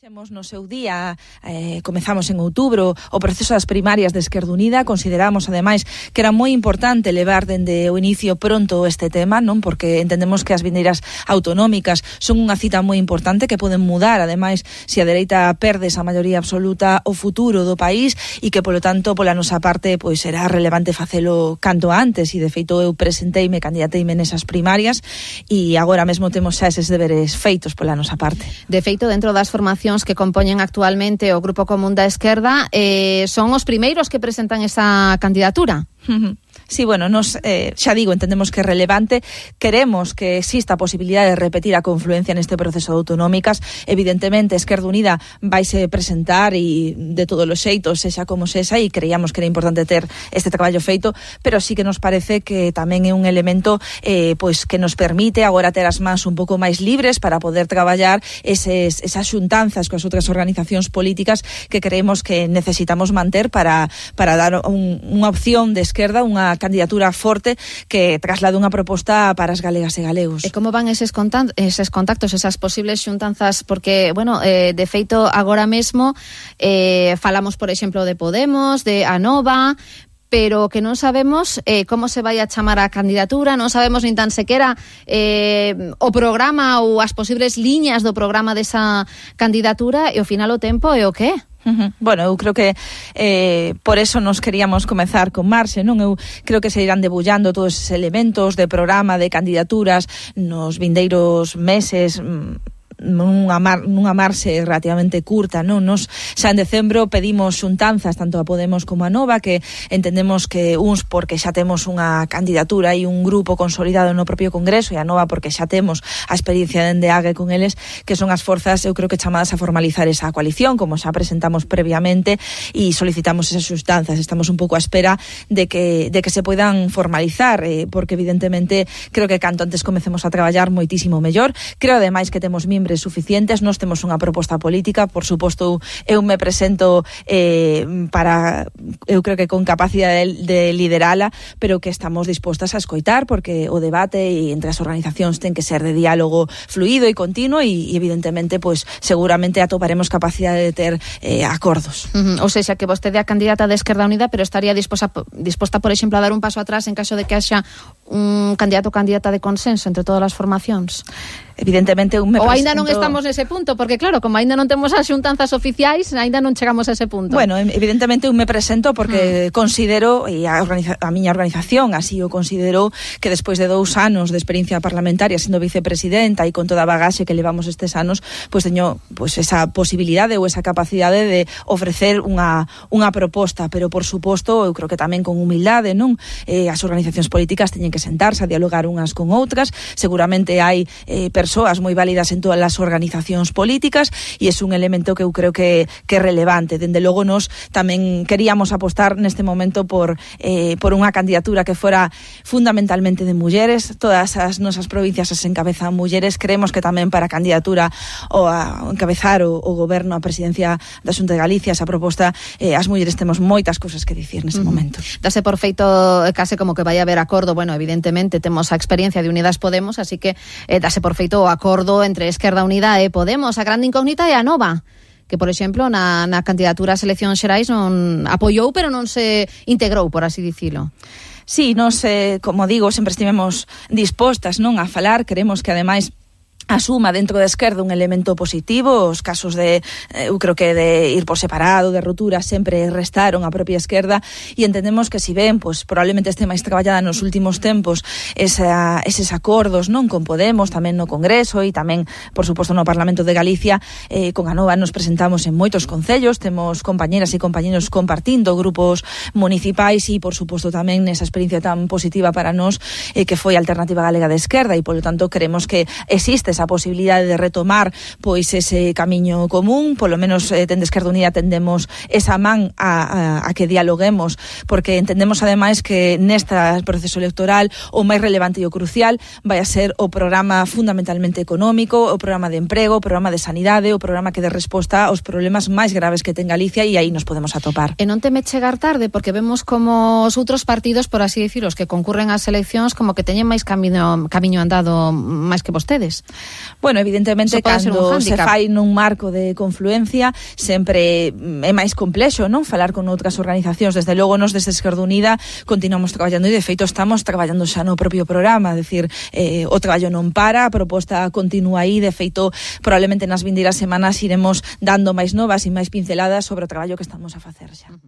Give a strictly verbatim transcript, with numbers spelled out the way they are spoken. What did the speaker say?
Fixemos no seu día, eh, comezamos en outubro o proceso das primarias de Esquerda Unida. Consideramos, ademais, que era moi importante levar dende o inicio pronto este tema, non? Porque entendemos que as vindeiras autonómicas son unha cita moi importante que poden mudar, ademais, se a dereita perde esa maioría absoluta o futuro do país e que, polo tanto, pola nosa parte, pois será relevante facelo canto antes e, de feito, eu presenteime, candidateime nesas primarias e agora mesmo temos xa eses deberes feitos pola nosa parte. De feito, dentro das formacións que compoñen actualmente o Grupo Común da Esquerda, eh, son os primeiros que presentan esa candidatura. Uh-huh. Sí, bueno, nos, eh, xa digo, entendemos que é relevante, queremos que exista a posibilidade de repetir a confluencia neste proceso de autonómicas. Evidentemente, Esquerda Unida vaise presentar e de todos os xeitos, sexa como sexa, e creíamos que era importante ter este traballo feito, pero sí que nos parece que tamén é un elemento eh, pois que nos permite agora ter as mans un pouco máis libres para poder traballar eses, esas xuntanzas coas outras organizacións políticas que creemos que necesitamos manter para, para dar un, unha opción de esquerda, unha candidatura forte que traslade unha proposta para as galegas e galegos. E como van eses contactos, eses contactos, esas posibles xuntanzas? Porque, bueno, eh, de feito, agora mesmo eh, falamos, por exemplo, de Podemos, de Anova, pero que non sabemos eh, como se vai a chamar a candidatura, non sabemos nin tan sequera eh, o programa ou as posibles liñas do programa desa candidatura, e ao final o tempo é o que é. Uh-huh. Bueno, eu creo que eh, por eso nos queríamos comezar con Marxe, non? Eu creo que se irán debullando todos esos elementos de programa, de candidaturas nos vindeiros meses, nunha, mar, nunha marxe relativamente curta, non? Nos xa en decembro pedimos xuntanzas tanto a Podemos como a Nova, que entendemos que uns porque xa temos unha candidatura e un grupo consolidado no propio Congreso, e a Nova porque xa temos a experiencia dende Ague con eles, que son as forzas, eu creo que chamadas a formalizar esa coalición, como xa presentamos previamente, e solicitamos esas xuntanzas. Estamos un pouco á espera de que, de que se poidan formalizar, eh, porque evidentemente creo que canto antes comecemos a traballar moitísimo mellor. Creo ademais que temos miembros suficientes, nós temos unha proposta política, por suposto eu me presento eh, para, eu creo que con capacidade de, de liderala, pero que estamos dispostas a escoitar, porque o debate e entre as organizacións ten que ser de diálogo fluido e continuo, e, e evidentemente, pois seguramente atoparemos capacidade de ter eh, acordos. Uh-huh. Ou seja, que vostede é a candidata de Esquerda Unida, pero estaría disposta, disposta, por exemplo, a dar un paso atrás en caso de que haxa un candidato ou candidata de consenso entre todas as formacións? Evidentemente un me presento... Ou aínda non presento... estamos nese punto, porque claro, como aínda non temos as xuntanzas oficiais, aínda non chegamos a ese punto. Bueno, evidentemente un me presento porque mm. considero, e a, organiza, a miña organización así o considerou, que despois de dous anos de experiencia parlamentaria sendo vicepresidenta e con toda a bagaxe que levamos estes anos, pois teño pois esa posibilidade ou esa capacidade de ofrecer unha, unha proposta, pero por suposto, eu creo que tamén con humildade, non? Eh, as organizacións políticas teñen que sentarse a dialogar unhas con outras, seguramente hai eh, persoas moi válidas en todas as organizacións políticas, e é un elemento que eu creo que, que é relevante. Dende logo nos tamén queríamos apostar neste momento por, eh, por unha candidatura que fora fundamentalmente de mulleres. Todas as nosas provincias as encabezan mulleres. Creemos que tamén para a candidatura ou a encabezar o, o goberno, a presidencia da Xunta de Galicia, esa proposta, eh, as mulleres temos moitas cousas que dicir neste uh-huh. momento. Dase por feito case como que vai haber acordo. Bueno, evidentemente temos a experiencia de Unidas Podemos, así que eh, dase por feito o acordo entre Esquerda Unida e Podemos. A grande incógnita é a Nova, que, por exemplo, na, na candidatura a eleccións xerais non apoiou, pero non se integrou, por así dicilo. Sí, nos, eh, como digo, sempre estivemos dispostas, non, a falar. Queremos que, ademais, asuma dentro da esquerda un elemento positivo. Os casos de, eu creo que de ir por separado, de ruptura, sempre restaron a propia esquerda, e entendemos que si ben, pois probablemente este máis traballada nos últimos tempos esa, eses acordos, non, con Podemos, tamén no Congreso e tamén, por suposto, no Parlamento de Galicia, eh, con a Nova nos presentamos en moitos concellos, temos compañeras e compañeros compartindo grupos municipais e, por suposto, tamén nesa experiencia tan positiva para nós eh, que foi a Alternativa Galega de Esquerda, e, polo tanto, queremos que existe esa posibilidade de retomar pois ese camiño común. Polo menos eh, dende Esquerda Unida tendemos esa man a, a, a que dialoguemos, porque entendemos ademais que neste proceso electoral o máis relevante e o crucial vai a ser o programa fundamentalmente económico, o programa de emprego, o programa de sanidade, o programa que dé resposta aos problemas máis graves que ten Galicia, e aí nos podemos atopar. E non teme chegar tarde, porque vemos como os outros partidos, por así dicir, os que concurren ás eleccións, como que teñen máis camiño, camiño andado máis que vostedes. Bueno, evidentemente, cando se fai nun marco de confluencia, sempre é máis complexo, non? Falar con outras organizacións. Desde logo, nos desde Esquerda Unida continuamos traballando e, de feito, estamos traballando xa no propio programa. É dicir, eh, o traballo non para, a proposta continúa aí. De feito, probablemente nas vindeiras semanas iremos dando máis novas e máis pinceladas sobre o traballo que estamos a facer xa.